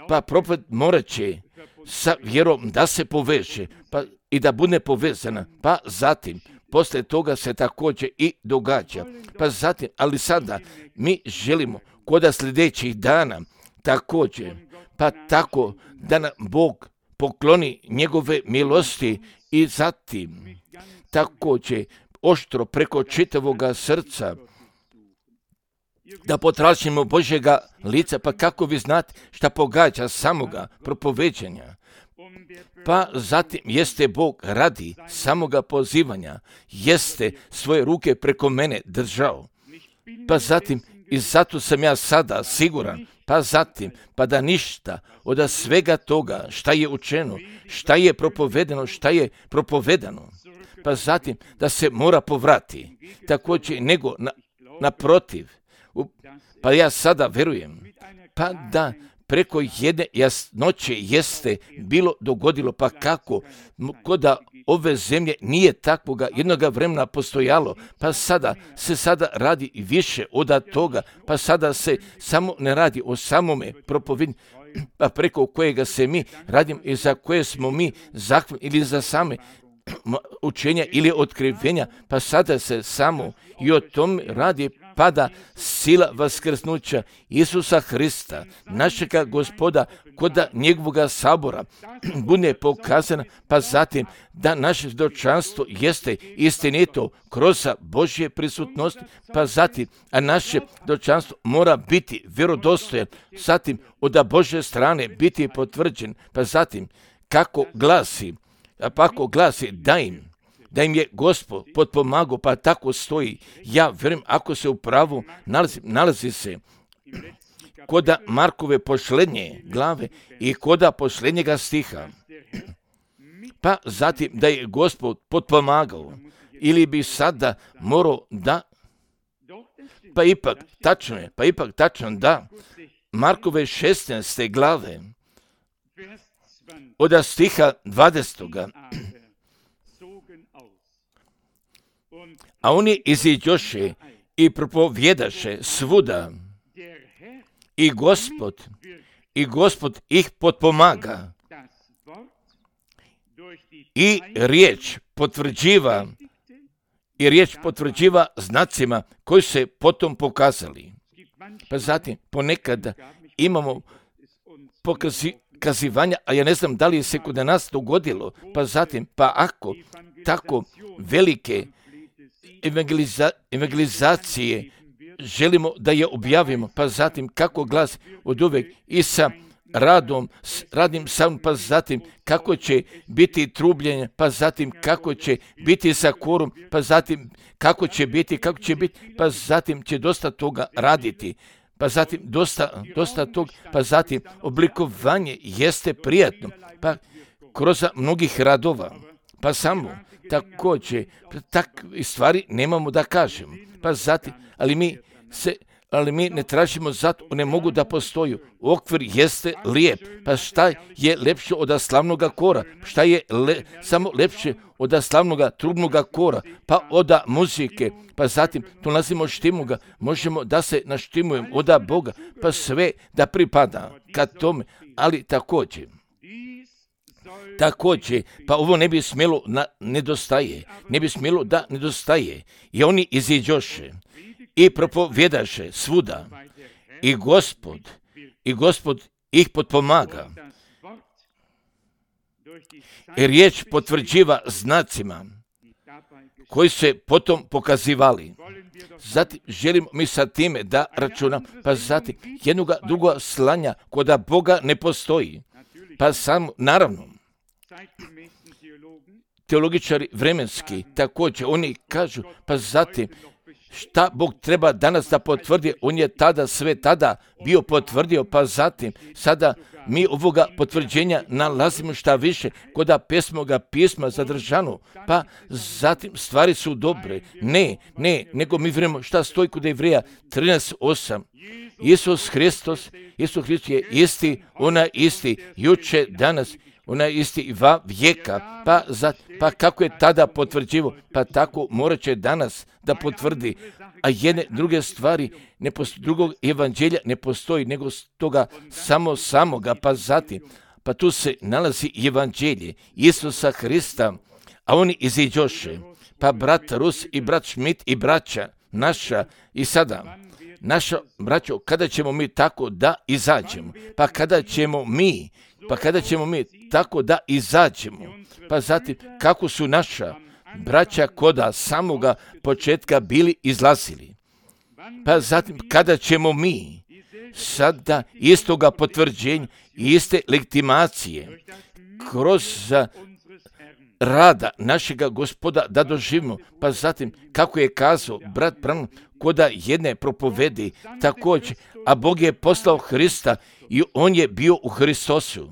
pa propoved morat će sa vjerom da se poveže pa i da bude povezana, pa zatim poslije toga se također i događa. Pa zatim, ali sada mi želimo kod sljedećih dana također, pa tako da nam Bog pokloni njegove milosti i zatim također oštro preko čitavoga srca da potražimo Božjega lica, pa kako vi znate šta pogađa samoga propoveđenja. Pa zatim jeste Bog radi samoga pozivanja, jeste svoje ruke preko mene držao. Pa zatim i zato sam ja sada siguran, pa zatim, pa da ništa od svega toga šta je učeno, šta je propovedeno, šta je propovedano, pa zatim da se mora povrati, također nego na, naprotiv. Pa ja sada verujem, pa da preko jedne jasnoće jeste bilo dogodilo, pa kako koda ove zemlje nije takvoga jednoga vremena postojalo, pa sada se sada radi više od toga, pa sada se samo ne radi o samome propovednju, pa preko kojega se mi radimo i za koje smo mi zahvalni ili za same učenja ili otkrivenja, pa sada se samo i o tom radi, pada sila vaskrsnuća Isusa Hrista, našega Gospoda, koda njegovoga sabora bude pokazana, pa zatim da naše svjedočanstvo jeste istinito kroz Božje prisutnosti, pa zatim, a naše svjedočanstvo mora biti vjerodostojan, zatim od Božje strane biti potvrđen, pa zatim kako glasi, a pa ako glasi da im da im je Gospod potpomagao, pa tako stoji. Ja vjerujem, ako se u pravu nalazi, nalazi se koda Markove posljednje glave i koda posljednjega stiha. Pa zatim da je Gospod potpomagao, ili bi sada morao da, pa ipak tačno je, pa ipak tačno da, Markove šesnaeste glave, od stiha dvadesetog. A oni iziđoše i propovjedaše svuda i Gospod, i Gospod ih potpomaga i riječ potvrđiva, i riječ potvrđiva znacima koji se potom pokazali. Pa zatim ponekad imamo pokazivanja, a ja ne znam da li se kod nas dogodilo, pa zatim, pa ako tako velike evangeliza, evangelizacije želimo da je objavimo, pa zatim kako glas od uvek i sa radom, s radnim sam, pa zatim kako će biti trubljenje, pa zatim kako će biti sa korom, pa zatim kako će biti, kako će biti, pa zatim će dosta toga raditi, pa zatim dosta, dosta tog, pa zatim oblikovanje jeste prijatno, pa kroz mnogih radova, pa samo također takve stvari nemamo da kažemo, pa zatim, ali mi se ali mi ne tražimo zato, one mogu da postoju. Okvir jeste lijep, pa šta je lepše od slavnoga kora? Šta je le, samo lepše od slavnoga trubnoga kora? Pa od muzike, pa zatim tu nalazimo štimuga, možemo da se naštimujemo od Boga, pa sve da pripada ka tome, ali također, također, pa ovo ne bi smjelo na, nedostaje, ne bi smjelo da nedostaje. I oni iziđoše i propovjedaše svuda i Gospod, i Gospod ih potpomaga. I riječ potvrđiva znacima koji se potom pokazivali. Zatim želimo mi sa time da računam, pa zatim jednoga druga slanja koda Boga ne postoji. Pa samo, naravno, teologičari vremenski također, oni kažu, pa zatim, šta Bog treba danas da potvrdi, on je tada sve tada bio potvrdio, pa zatim sada mi ovoga potvrđenja nalazimo šta više kod pesmoga pisma zadržano, pa zatim stvari su dobre. Ne, ne, nego mi vjerujemo šta stoji kod Jevreja trinaest osam. Isus Hristos, Isus Hristos je isti, ona isti, juče, danas, ona je isti i va vijeka, pa, za, pa kako je tada potvrđivo, pa tako morat će danas da potvrdi, a jedne druge stvari, ne postoji, drugog evanđelja ne postoji, nego toga samo samoga, pa zatim, pa tu se nalazi evanđelje Isusa Hrista, a oni iziđoše, pa brat Rus i brat Šmit i braća naša i sada, naša braćo, kada ćemo mi tako da izađemo, pa kada ćemo mi, pa kada ćemo mi tako da izađemo, pa zatim kako su naša braća koda samoga početka bili izlazili, pa zatim kada ćemo mi sada istoga potvrđenja i iste legitimacije kroz rada našega Gospoda da doživimo, pa zatim kako je kazao brat Branham koda jedne propovedi također, a Bog je poslao Hrista i on je bio u Hristosu.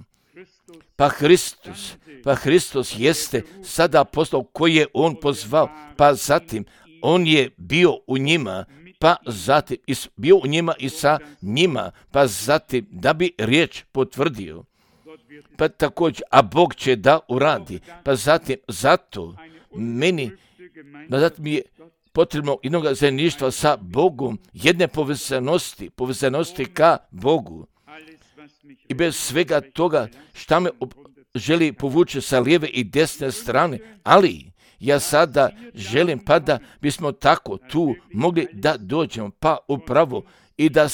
Pa Hristos, pa Hristos jeste sada poslao koji je on pozvao, pa zatim on je bio u njima, pa zatim bio u njima i sa njima, pa zatim da bi riječ potvrdio. Pa također, a Bog će da uradi, pa zatim zato meni, pa zatim je potrebno jednog zajedništva sa Bogom, jedne povezanosti, povezanosti ka Bogu. I bez svega toga šta me želi povući sa lijeve i desne strane, ali ja sada želim pa da bismo tako tu mogli da dođemo, pa upravo i da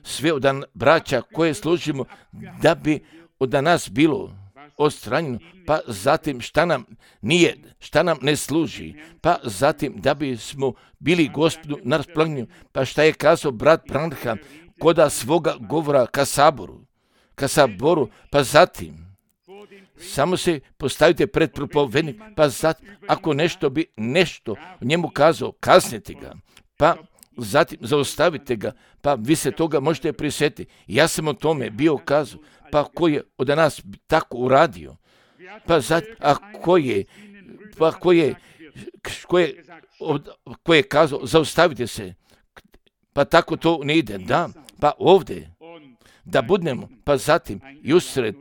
sve od braća koje služimo, da bi od nas bilo odstranjeno, pa zatim šta nam nije, šta nam ne služi, pa zatim da bismo bili Gospodu na raspolaganju, pa šta je kazao brat Branham koda svoga govora ka saboru, ka saboru, pa zatim samo se postavite pred propovednik, pa zatim ako nešto bi nešto njemu kazao, kaznite ga, pa zatim zaustavite ga, pa vi se toga možete prisjetiti. Ja sam o tome bio kazao, pa ko je od nas tako uradio, pa zatim, a ko je, pa ko je, ko je, ko je kazao, zaustavite se, pa tako to ne ide, da, pa ovdje, da budemo, pa zatim i usred,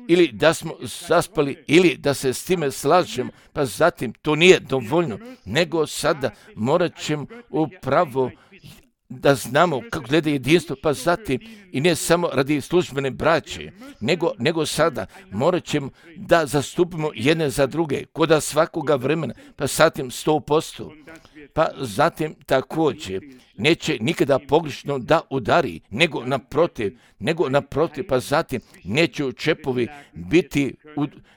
ili da smo zaspali, ili da se s time slažemo, pa zatim to nije dovoljno, nego sada morat ćemo upravo da znamo kako gleda jedinstvo, pa zatim i ne samo radi službene braće, nego, nego sada morat ćemo da zastupimo jedne za druge, koda svakoga vremena, pa zatim sto posto, pa zatim također neće nikada pogrešno da udari, nego naprotiv, nego naprotiv, pa zatim neće čepovi biti,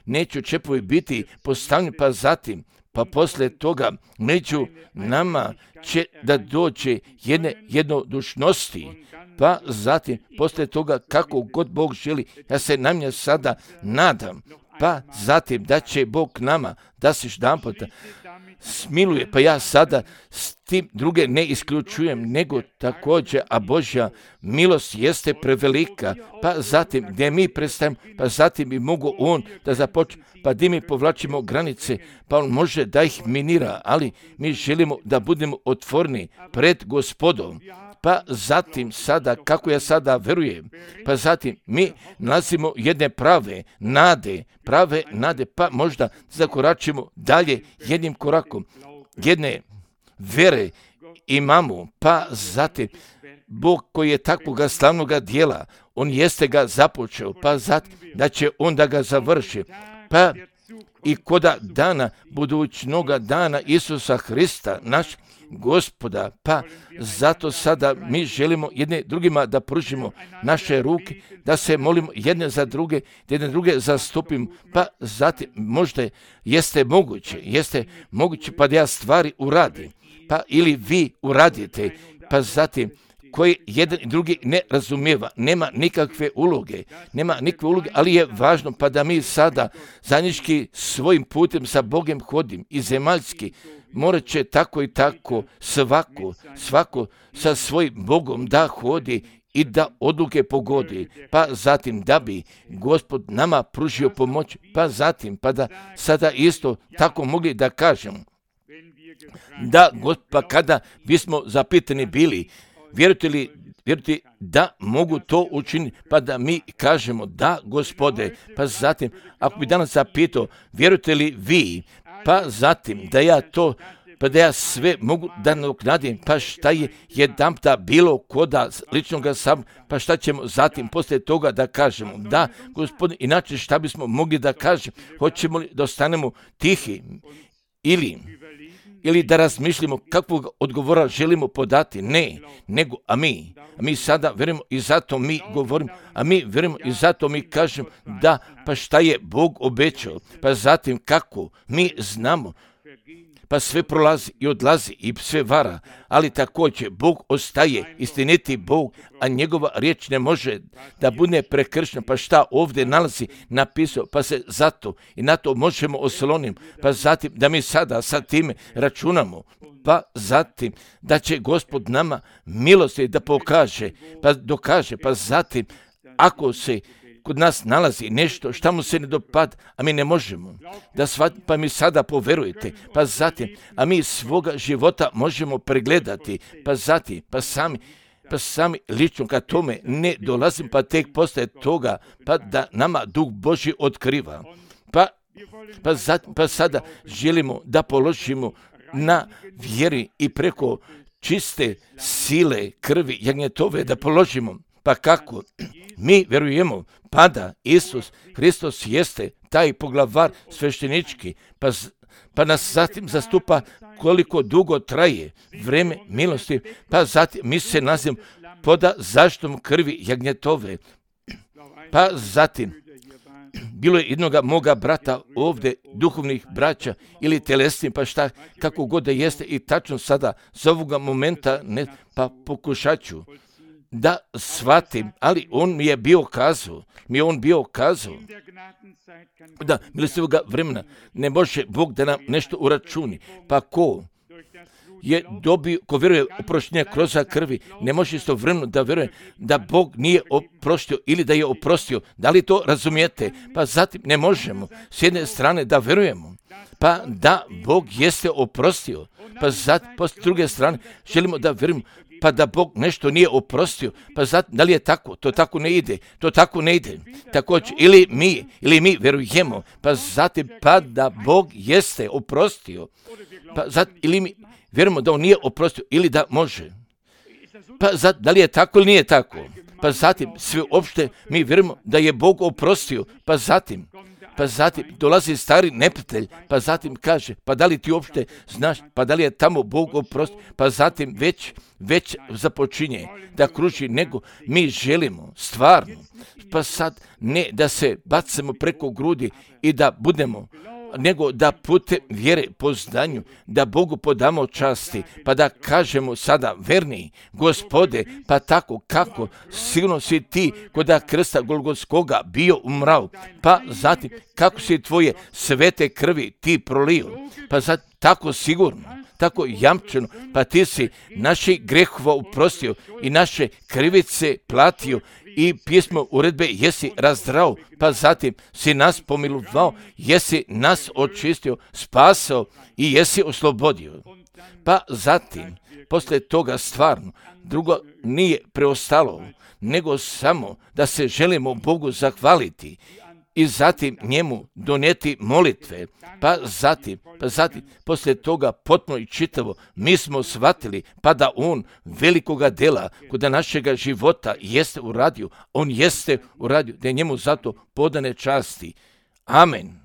neće čepovi biti postavljeni, pa zatim, pa poslije toga među nama će da dođe jedne jednodušnosti, pa zatim poslije toga kako god Bog želi, ja se na mnje sada nadam, pa zatim da će Bog nama da se jedanputa smiluje, pa ja sada s tim druge ne isključujem, nego također, a Božja milost jeste prevelika, pa zatim gdje mi prestajemo, pa zatim bi mogu on da započne, pa gdje mi povlačimo granice, pa on može da ih minira, ali mi želimo da budemo otvorni pred Gospodom, pa zatim sada, kako ja sada verujem, pa zatim mi nalazimo jedne prave nade, prave nade, pa možda zakoračimo dalje jednim korakom, jedne vere imamo, pa zatim Bog koji je takvoga slavnoga dijela, on jeste ga započeo, pa zatim da će on da ga završi, pa i koda dana, budućnoga dana Isusa Hrista, naš Gospoda, pa zato sada mi želimo jedne drugima da pružimo naše ruke, da se molimo jedne za druge, da jedne druge zastupimo, pa zatim možda jeste moguće, jeste moguće pa da ja stvari uradim, pa ili vi uradite, pa zatim koji jedan i drugi ne razumijeva, nema nikakve uloge, nema nikakve uloge, ali je važno pa da mi sada zajednički svojim putem sa Bogom hodim i zemaljski, morat će tako i tako svako, svako sa svojim Bogom da hodi i da odluke pogodi, pa zatim da bi Gospod nama pružio pomoć, pa zatim pa da sada isto tako mogli da kažemo, da Gospod, pa kada bismo zapitani bili, vjerujete li, vjerujete da mogu to učiniti, pa da mi kažemo da, Gospode, pa zatim, ako bi danas zapitao, vjerujete li vi, pa zatim da ja to, pa da ja sve mogu da nadoknadim, pa šta je jedanputa bilo koda ličnoga sam, pa šta ćemo zatim poslije toga da kažemo, da, Gospodine, inače šta bismo mogli da kažemo, hoćemo li da ostanemo tihi ili ili da razmišljamo kakvog odgovora želimo podati, ne, nego, a mi, a mi sada verujemo i zato mi govorimo, a mi verujemo i zato mi kažemo da, pa šta je Bog obećao, pa zatim kako, mi znamo, pa sve prolazi i odlazi i sve vara, ali također Bog ostaje istiniti Bog, a njegova riječ ne može da bude prekršena, pa šta ovdje nalazi napisao, pa se zato i na to možemo osloniti, pa zatim da mi sada sa time računamo, pa zatim da će Gospod nama milosti da pokaže, pa dokaže, pa zatim ako se kod nas nalazi nešto šta mu se ne dopada, a mi ne možemo da shvatimo, pa mi sada poverujete, pa zatim, a mi svoga života možemo pregledati, pa zatim, pa sami, pa sami lično kad tome ne dolazim, pa tek postaje toga, pa da nama Duh Božji otkriva. Pa, pa, zatim, pa sada želimo da položimo na vjeri i preko čiste sile krvi jagnjetove da položimo. Pa kako? Mi vjerujemo pa da Isus Hristos jeste taj poglavar sveštenički, pa, pa nas zatim zastupa koliko dugo traje vreme milosti, pa zatim mi se nazivamo poda zaštitom krvi jagnjetove. Pa zatim, bilo je jednoga moga brata ovdje, duhovnih braća ili telesnih, pa šta, kako god da jeste i tačno sada, za ovoga momenta, ne, pa pokušat ću da shvatim, ali on mi je bio kazao, mi je on bio kazao, da milostivoga vremena ne može Bog da nam nešto uračuni, pa ko je dobio, ko vjeruje oproštenje kroz krvi, ne može istovremeno da vjeruje da Bog nije oprostio ili da je oprostio. Da li to razumijete? Pa zatim ne možemo s jedne strane da vjerujemo, pa da Bog jeste oprostio, pa zatim pa s druge strane želimo da vjerujemo, pa da Bog nešto nije oprostio, pa zatim, da li je tako? To tako ne ide, to tako ne ide. Također, ili mi, ili mi vjerujemo, pa zatim, pa da Bog jeste oprostio, pa zatim, ili mi vjerujemo da on nije oprostio, ili da može. Pa zatim, da li je tako ili nije tako? Pa zatim, sve opšte mi vjerujemo da je Bog oprostio, pa zatim, pa zatim dolazi stari neprijatelj, pa zatim kaže, pa da li ti uopšte znaš, pa da li je tamo Bog oprosti, pa zatim već, već započinje da kruži, nego mi želimo stvarno, pa sad ne da se bacimo preko grudi i da budemo, nego da putem vjere po znanju, da Bogu podamo časti, pa da kažemo sada verni, Gospode, pa tako kako sigurno si ti koda krsta Golgotskoga bio umrao, pa zatim kako si tvoje svete krvi ti prolio, pa zatim tako sigurno, tako jamčeno, pa ti si naše grehova uprostio i naše krivice platio i pismo uredbe jesi razdrao, pa zatim si nas pomilovao, jesi nas očistio, spasao i jesi oslobodio. Pa zatim, poslije toga stvarno, drugo nije preostalo, nego samo da se želimo Bogu zahvaliti i zatim njemu donijeti molitve, pa zatim, pa zatim, poslije toga potpuno i čitavo, mi smo shvatili, pa da on velikoga dela kod našega života jeste uradio, on jeste uradio, da je njemu zato podane časti. Amen.